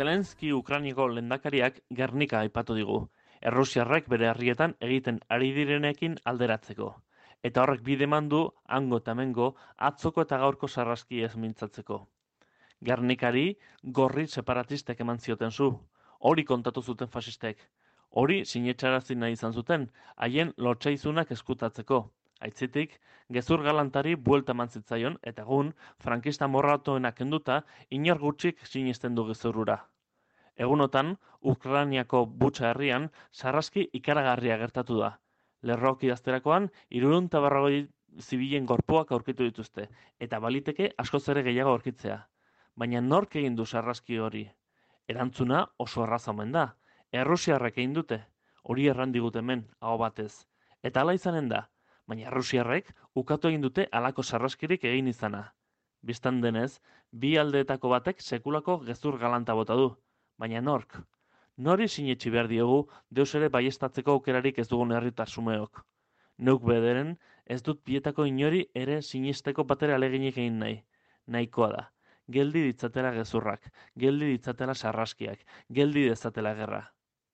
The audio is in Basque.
Zelenski Ukrainako lehendakariak Gernika aipatu digu, Errusiarrek bere herrietan egiten ari direnekin alderatzeko. Eta horrek bide eman du hango eta hemengo atzoko eta gaurko sarraski ez mintzatzeko. Gernikari gorri separatistek eman zioten zu, hori kontatu zuten fasistek. Hori sinetxarazi nahi izan zuten, haien lotsaizunak eskutatzeko. Aitzitik, gezur galantari buelta eman zitzaion eta egun, frankista morratoena kenduta, inor gutxik sinesten du gezurrura. Egunotan, Ukrainiako Butxa herrian, sarraski ikaragarria gertatu da. Lerroak idazterakoan, 340 zibilen gorpuak aurkitu dituzte, eta baliteke askoz ere gehiago aurkitzea. Baina nork egin du sarraski hori? Erantzuna oso erraza omen da. Errusiarrek egin dute, hori errandigut hemen, aho batez. Eta hala izanen da, baina Errusiarrek ukatu egin dute halako sarraskirik egin izana. Bistan denez, bi aldeetako batek sekulako gezur galanta bota du. Baina nork? Nori sinetxi behar diogu deus ere baiestatzeko aukerarik ez dugun herritar xumeok. Neuk bederen ez dut bietako inori ere sinesteko batera aleginik egin nahi. Nahikoa da. Geldi ditzatela gezurrak, geldi ditzatela sarraskiak, geldi dezatela gerra.